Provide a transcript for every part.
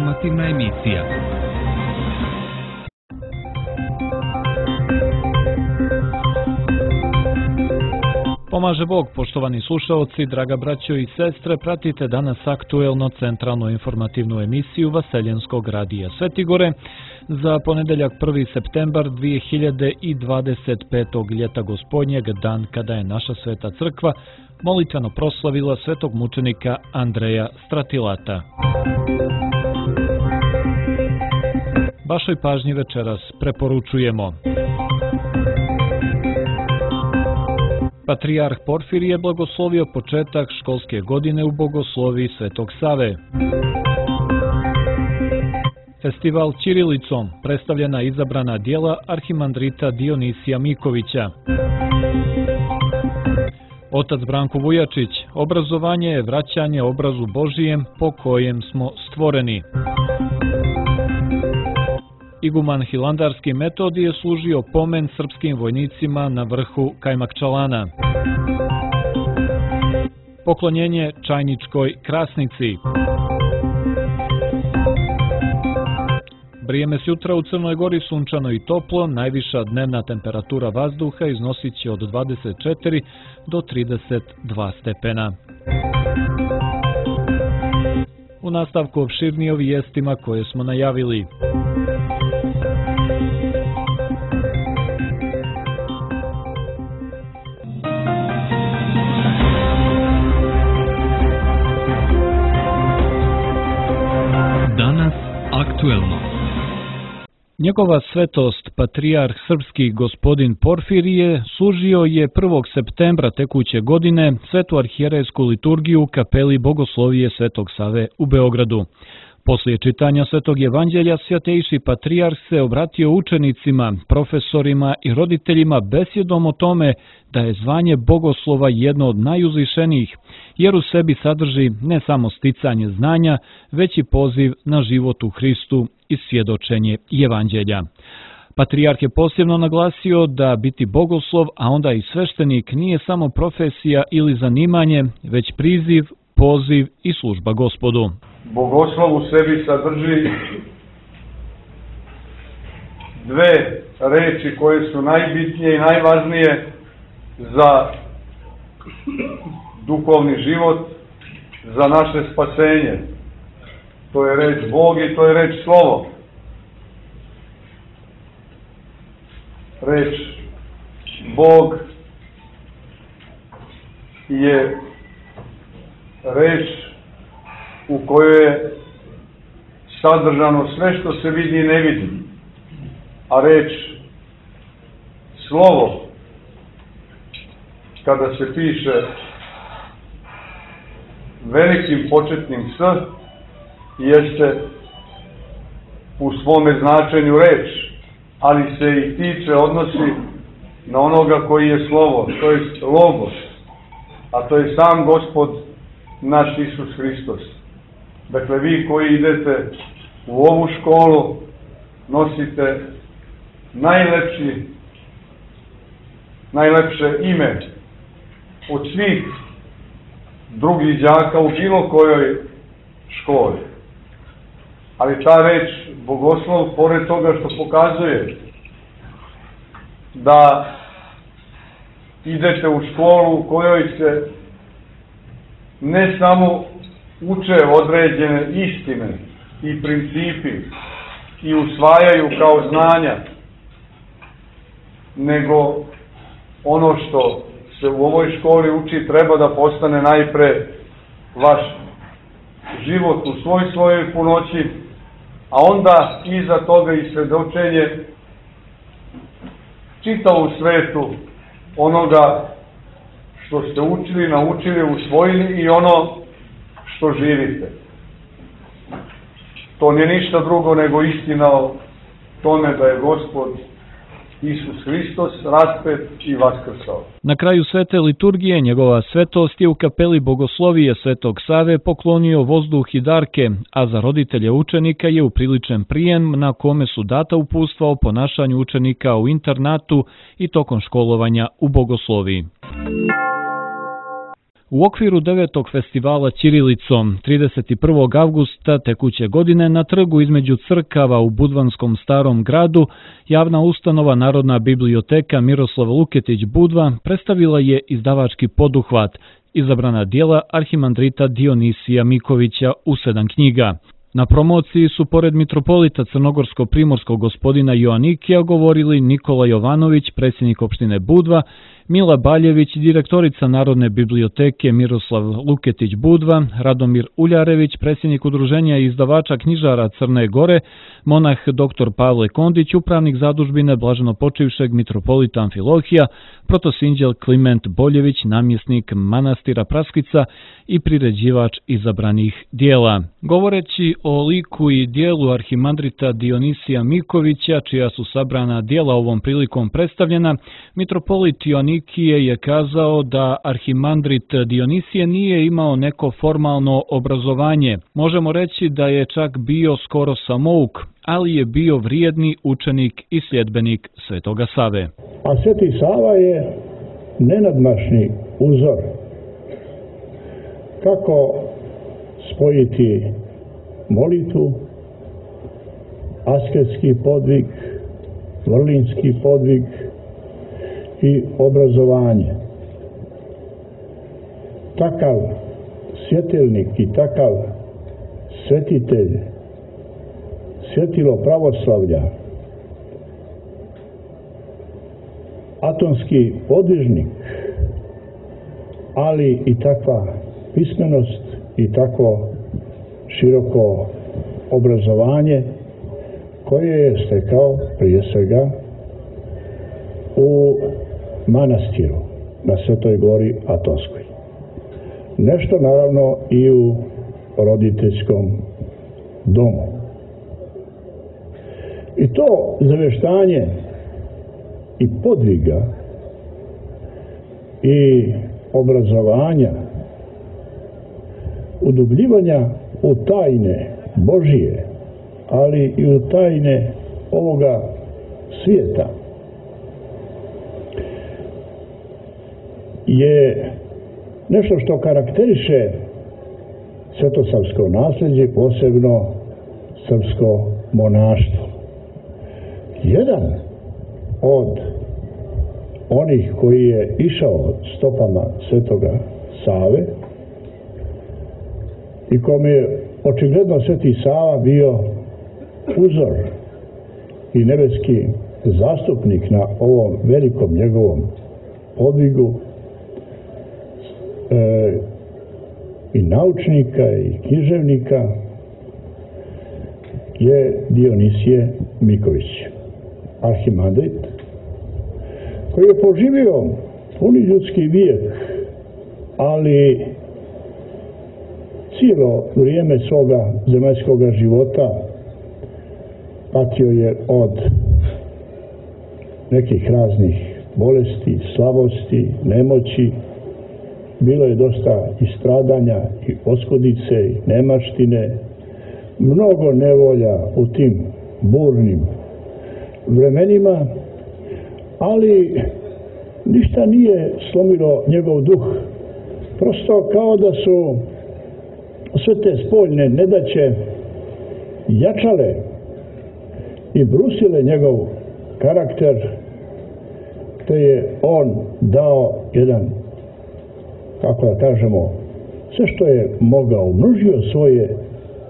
informativna emisija. Pomaže Bog, poštovani slušaoci, draga braćo i sestre, pratite danas aktuelno centralnu informativnu emisiju Vaseljenskog radija Svetigore za ponedeljak 1. septembar 2025. ljeta gospodnjeg, dan kada je naša sveta crkva molitveno proslavila svetog mučenika Andreja Stratilata. Vašoj pažnji večeras preporučujemo: Patrijarh Porfirije blagoslovio početak školske godine u bogosloviji Svetog Save. Festival ćirilicom, predstavljena izabrana djela arhimandrita Dionisija Mikovića. Otac Branko Vujačić, obrazovanje je vraćanje obrazu Božijem po kojem smo stvoreni. Iguman Hilandarski Metodije je služio pomen srpskim vojnicima na vrhu Kajmakčalana. Poklonjenje Čajničkoj Krasnici. Vrijeme s jutra u Crnoj Gori sunčano i toplo, najviša dnevna temperatura vazduha iznosit će od 24 do 32 stepena. U nastavku opširnije o vijestima koje smo najavili. Danas aktuelno. Njegova svetost, patrijarh srpski gospodin Porfirije, služio je 1. septembra tekuće godine svetu arhijerejsku liturgiju u kapeli Bogoslovije Svetog Save u Beogradu. Poslije čitanja Svetog evanđelja, svjatejši patrijarh se obratio učenicima, profesorima i roditeljima besjedom o tome da je zvanje bogoslova jedno od najuzvišenijih, jer u sebi sadrži ne samo sticanje znanja, već i poziv na život u Hristu i svjedočenje evanđelja. Patrijarh je posebno naglasio da biti bogoslov, a onda i sveštenik, nije samo profesija ili zanimanje, već priziv, poziv i služba Gospodu. Bogoslov u sebi sadrži dve reči koje su najbitnije i najvažnije za duhovni život, za naše spasenje. To je reč Bog i to je reč Slovo. Reč Bog je reč u kojoj je sadržano sve što se vidi i ne vidi. A reč Slovo, kada se piše velikim početnim S, jeste u svome značenju reč, ali se i tiče, odnosi na onoga koji je Slovo, to je Logos, a to je sam Gospod naš Isus Hristos. Dakle, vi koji idete u ovu školu, nosite najlepše ime od svih drugih đaka u bilo kojoj školi. Ali ta reč bogoslov, pored toga što pokazuje da idete u školu u kojoj se ne samo uče određene istine i principi i usvajaju kao znanja, nego ono što se u ovoj školi uči treba da postane najpre vaš život u svojoj punoći, a onda iza toga i svedočenje čitavu svetu onoga što ste učili, naučili, usvojili i ono što živite. To nije ništa drugo nego istina o tome da je Gospod Isus Hristos raspet i vaskrsao. Na kraju svete liturgije njegova svetost je u kapeli Bogoslovije Svetog Save poklonio vozduh i darke, a za roditelje učenika je upriličen prijem na kome su data uputstva o ponašanju učenika u internatu i tokom školovanja u Bogosloviji. U okviru 9. festivala Ćirilicom 31. avgusta tekuće godine na trgu između crkava u Budvanskom Starom gradu javna ustanova Narodna biblioteka Miroslav Luketić Budva predstavila je izdavački poduhvat, izabrana dijela arhimandrita Dionisija Mikovića u 7 knjiga. Na promociji su pored mitropolita crnogorsko-primorskog gospodina Joanikija govorili Nikola Jovanović, predsjednik opštine Budva, Mila Baljević, direktorica Narodne biblioteke Miroslav Luketić Budva, Radomir Uljarević, predsjednik udruženja i izdavača knjižara Crne Gore, monah dr. Pavle Kondić, upravnik zadužbine blaženopočivšeg mitropolita Amfilohija, protosinđel Kliment Boljević, namjesnik manastira Praskica i priređivač izabranih dijela. Govoreći o liku i dijelu arhimandrita Dionisija Mikovića, čija su sabrana dijela ovom prilikom predstavljena, mitropolit Joanikije je kazao da arhimandrit Dionisije nije imao neko formalno obrazovanje. Možemo reći da je čak bio skoro samouk, ali je bio vrijedni učenik i sljedbenik Svetoga Save. A Sveti Sava je nenadmašni uzor kako spojiti molitvu, asketski podvig, vrlinski podvig i obrazovanje. Takav svjetelnik i takav svetitelj, svjetilo pravoslavlja, atonski podvižnik, ali i takva pismenost i tako široko obrazovanje koje je stekao prije svega u manastiru na Svetoj gori Atonskoj. Nešto naravno i u roditeljskom domu. I to zaveštanje i podviga i obrazovanja, udubljivanja u tajne Božije, ali i u tajne ovoga svijeta, je nešto što karakteriše svetosavsko nasljeđe, posebno srpsko monaštvo. Jedan od onih koji je išao stopama Svetoga Save i kome je očigledno Sveti Sava bio uzor i nebeski zastupnik na ovom velikom njegovom podvigu, i naučnika i književnika, je Dionisije Miković, arhimandrit, koji je poživio puni ljudski vijek, ali cijelo vrijeme svoga zemaljskog života patio je od nekih raznih bolesti, slabosti, nemoći. Bilo je dosta i stradanja, i oskudice, i nemaštine, mnogo nevolja u tim burnim vremenima, ali ništa nije slomilo njegov duh. Prosto kao da su sve te spoljne nedaće jačale i brusile njegov karakter, te je on dao jedan, kako da kažemo, sve što je mogao, umnožio svoje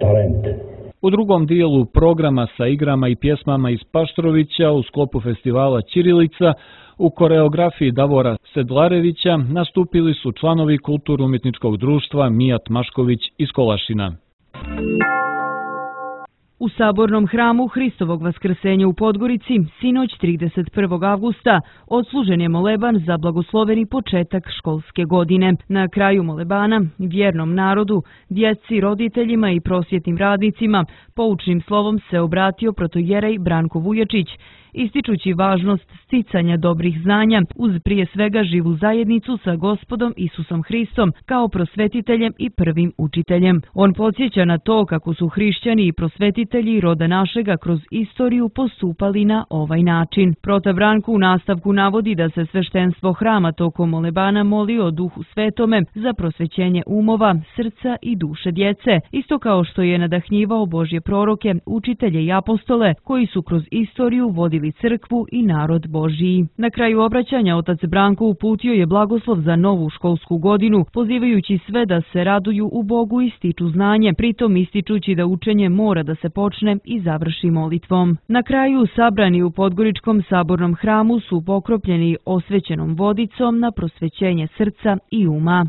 talente. U drugom dijelu programa sa igrama i pjesmama iz Paštrovića u sklopu festivala Ćirilica u koreografiji Davora Sedlarevića nastupili su članovi Kulturno-umjetničkog društva Mijat Mašković iz Kolašina. U Sabornom hramu Hristovog vaskrsenja u Podgorici sinoć 31. avgusta odslužen je moleban za blagosloveni početak školske godine. Na kraju molebana vjernom narodu, djeci, roditeljima i prosvjetnim radnicima poučnim slovom se obratio protojerej Branko Vujačić ističući važnost sticanja dobrih znanja uz prije svega živu zajednicu sa Gospodom Isusom Hristom kao prosvetiteljem i prvim učiteljem. On podsjeća na to kako su hrišćani i prosvetitelji roda našega kroz istoriju postupali na ovaj način. Protav Branko u nastavku navodi da se sveštenstvo hrama tokom molebana moli o Duhu Svetome za prosvećenje umova, srca i duše djece, isto kao što je nadahnjivao Božje proroke, učitelje i apostole koji su kroz istoriju vodili crkvu i narod Božiji. Na kraju obraćanja otac Branko uputio je blagoslov za novu školsku godinu, pozivajući sve da se raduju u Bogu i stiču znanje, pritom ističući da učenje mora da se počne i završi molitvom. Na kraju sabrani u Podgoričkom sabornom hramu su pokropljeni osvećenom vodicom na prosvećenje srca i uma.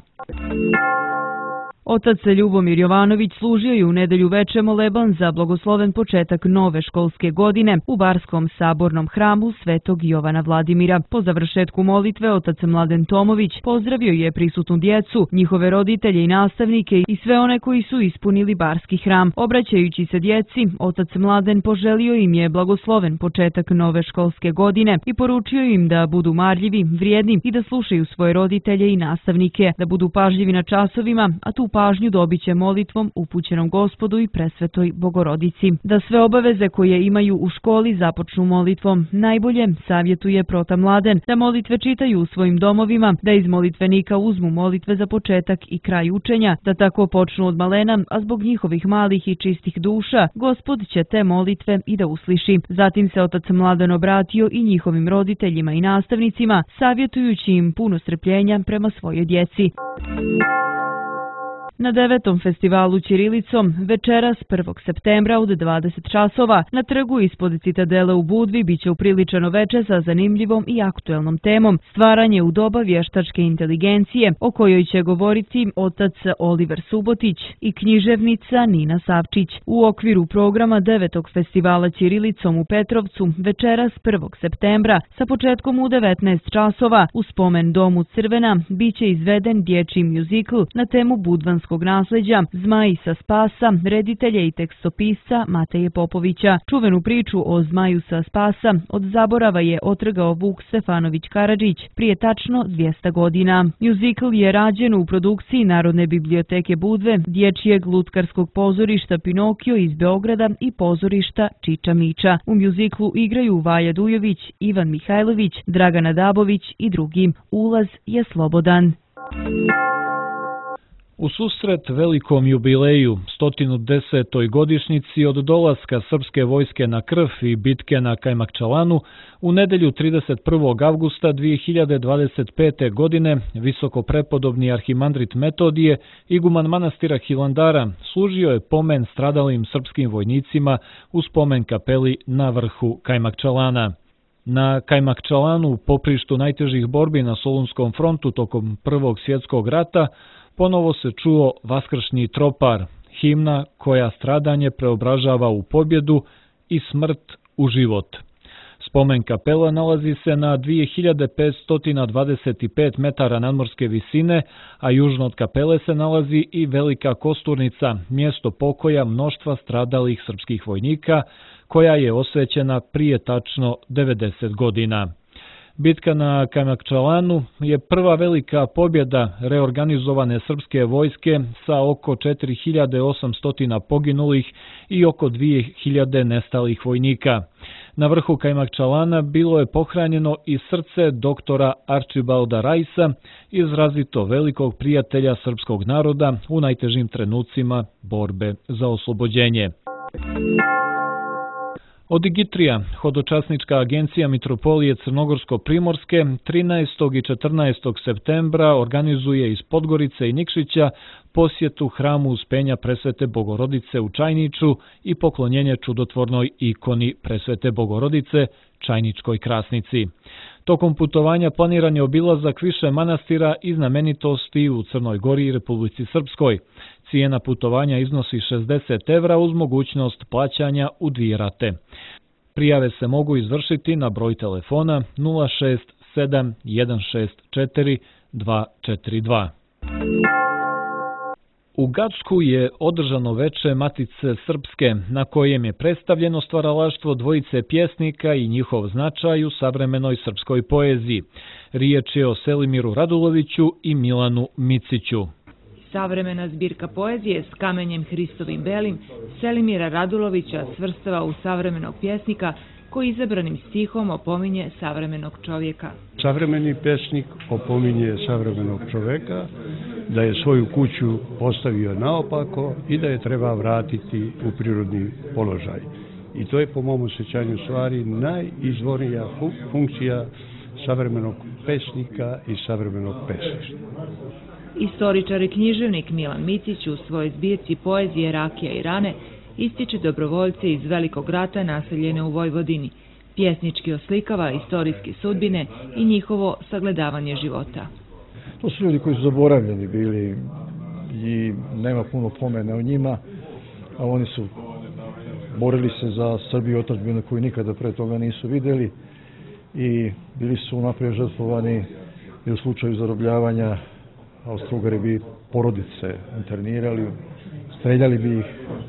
Otac Ljubomir Jovanović služio je u nedelju veče moleban za blagosloven početak nove školske godine u Barskom sabornom hramu Svetog Jovana Vladimira. Po završetku molitve otac Mladen Tomović pozdravio je prisutnu djecu, njihove roditelje i nastavnike i sve one koji su ispunili Barski hram. Obraćajući se djeci, otac Mladen poželio im je blagosloven početak nove školske godine i poručio im da budu marljivi, vrijedni i da slušaju svoje roditelje i nastavnike, da budu pažljivi na časovima, a tu pažnju dobit će molitvom upućenom Gospodu i presvetoj Bogorodici. Da sve obaveze koje imaju u školi započnu molitvom. Najbolje savjetuje protav Mladen da molitve čitaju u svojim domovima, da iz molitvenika uzmu molitve za početak i kraj učenja, da tako počnu od malena, a zbog njihovih malih i čistih duša, Gospod će te molitve i da usliši. Zatim se otac Mladen obratio i njihovim roditeljima i nastavnicima, savjetujući im puno strpljenja prema svojoj djeci. Na 9. festivalu ćirilicom večeras 1. septembra od 20 časova na trgu ispod Citadele u Budvi biće upriličeno veče sa zanimljivom i aktuelnom temom stvaranje u doba vještačke inteligencije, o kojoj će govoriti otac Oliver Subotić i književnica Nina Savčić. U okviru programa 9. festivala ćirilicom u Petrovcu večeras 1. septembra sa početkom u 19 časova u spomen domu Crvena biće izveden dječji mjuzikl na temu budvanskog nasleđa Zmaj sa Spasa, reditelja i tekstopisca Mateje Popovića. Čuvenu priču o Zmaju sa Spasa od zaborava je otrgao Vuk Stefanović Karadžić prije tačno 200 godina. Mjuzikl je rađen u produkciji Narodne biblioteke Budve, dječjeg lutkarskog pozorišta Pinokio iz Beograda i pozorišta Čiča Miča. U mjuziklu igraju Vaja Dujović, Ivan Mihajlović, Dragana Dabović i drugi. Ulaz je slobodan. U susret velikom jubileju, 110. godišnjici od dolaska srpske vojske na Krf i bitke na Kajmakčalanu, u nedelju 31. avgusta 2025. godine visokoprepodobni arhimandrit Metodije, iguman manastira Hilandara, služio je pomen stradalim srpskim vojnicima u spomen kapeli na vrhu Kajmakčalana. Na Kajmakčalanu, poprištu najtežih borbi na Solunskom frontu tokom Prvog svjetskog rata, ponovo se čuo vaskršnji tropar, himna koja stradanje preobražava u pobjedu i smrt u život. Spomen kapela nalazi se na 2525 metara nadmorske visine, a južno od kapele se nalazi i Velika Kosturnica, mjesto pokoja mnoštva stradalih srpskih vojnika, koja je osvećena prije tačno 90 godina. Bitka na Kajmakčalanu je prva velika pobjeda reorganizovane srpske vojske sa oko 4800 poginulih i oko 2000 nestalih vojnika. Na vrhu Kajmakčalana bilo je pohranjeno i srce doktora Arčibalda Rajsa, izrazito velikog prijatelja srpskog naroda u najtežim trenucima borbe za oslobođenje. Odigitrija, hodočasnička agencija Mitropolije Crnogorsko-Primorske, 13. i 14. septembra organizuje iz Podgorice i Nikšića posjetu hramu Uspenja Presvete Bogorodice u Čajniču i poklonjenje čudotvornoj ikoni Presvete Bogorodice, Čajničkoj krasnici. Tokom putovanja planiran je obilazak više manastira i znamenitosti u Crnoj Gori i Republici Srpskoj. Cijena putovanja iznosi 60 evra uz mogućnost plaćanja u 2 rate. Prijave se mogu izvršiti na broj telefona 067 164 242. U Gacku je održano veče Matice Srpske, na kojem je predstavljeno stvaralaštvo dvojice pjesnika i njihov značaj u savremenoj srpskoj poeziji. Riječ je o Selimiru Raduloviću i Milanu Miciću. Savremena zbirka poezije s kamenjem Hristovim belim Selimira Radulovića svrstava u savremenog pjesnika koji izabranim stihom opominje savremenog čovjeka. Savremeni pesnik opominje savremenog čovjeka da je svoju kuću postavio naopako i da je treba vratiti u prirodni položaj. I to je po mom osjećanju stvari najizvornija funkcija savremenog pesnika i savremenog pesništva. Istoričar i književnik Milan Micić u svojoj zbirci poezije Rakija i rane ističe dobrovoljce iz Velikog rata naseljene u Vojvodini. Pjesnički oslikava istorijske sudbine i njihovo sagledavanje života. To su ljudi koji su zaboravljeni bili i nema puno pomena o njima, a oni su borili se za Srbiju i otadžbinu koju nikada pre toga nisu vidjeli i bili su naprijed žrtvovani i u slučaju zarobljavanja Austro-Ugari bi porodice internirali, streljali bi ih,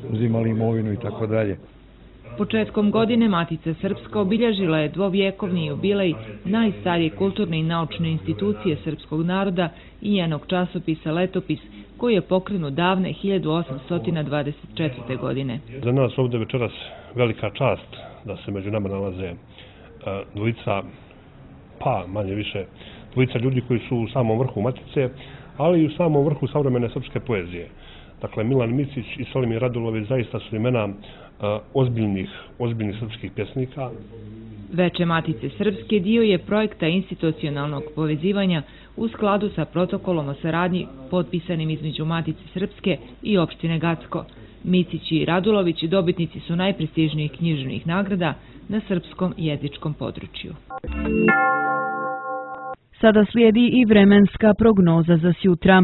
uzimali imovinu i tako dalje. Početkom godine Matica Srpska obilježila je dvovjekovni jubilej najstarije kulturne i naučne institucije srpskog naroda i njenog časopisa Letopis, koji je pokrenut davne 1824. godine. Za nas ovdje večeras velika čast da se među nama nalaze dvojica, pa manje više, dvojica ljudi koji su u samom vrhu Matice, ali i u samom vrhu savremene srpske poezije. Dakle, Milan Micić i Selimir Radulović zaista su imena ozbiljnih srpskih pjesnika. Veče Matice Srpske dio je projekta institucionalnog povezivanja u skladu sa protokolom o saradnji potpisanim između Matice Srpske i opštine Gacko. Micić i Radulović dobitnici su najprestižnijih književnih nagrada na srpskom jezičkom području. Sada slijedi i vremenska prognoza za sjutra.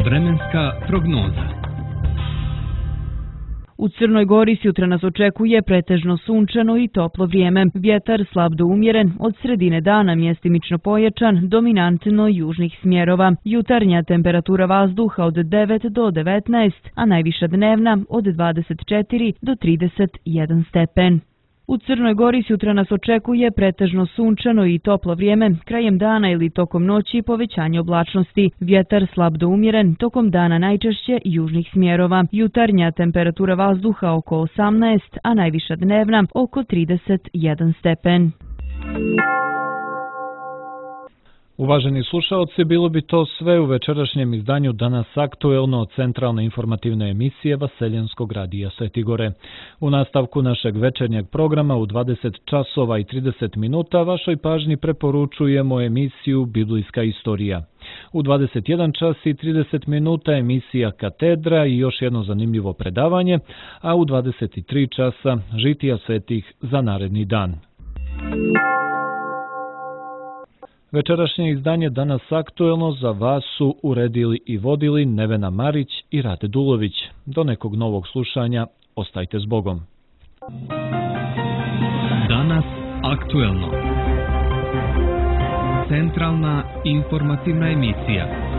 Vremenska prognoza. U Crnoj Gori sutra nas očekuje pretežno sunčano i toplo vrijeme. Vjetar slab do umjeren, od sredine dana mjestimično pojačan, dominantno južnih smjerova. Jutarnja temperatura vazduha od 9 do 19, a najviša dnevna od 24 do 31 stepen. U Crnoj Gori sutra nas očekuje pretežno sunčano i toplo vrijeme, krajem dana ili tokom noći povećanje oblačnosti. Vjetar slab do umjeren, tokom dana najčešće južnih smjerova. Jutarnja temperatura vazduha oko 18, a najviša dnevna oko 31 stepen. Uvaženi slušaoci, bilo bi to sve u večerašnjem izdanju Danas aktuelno od centralne informativne emisije Vaseljenskog radija Svetigore. U nastavku našeg večernjeg programa u 20 časova i 30 minuta vašoj pažnji preporučujemo emisiju Biblijska istorija. U 21 čas i 30 minuta emisija Katedra i još jedno zanimljivo predavanje, a u 23 časa žitija svetih za naredni dan. Večerašnje izdanje Danas aktuelno za vas su uredili i vodili Nevena Marić i Rade Dulović. Do nekog novog slušanja, ostajte s Bogom. Danas aktuelno. Centralna informativna emisija.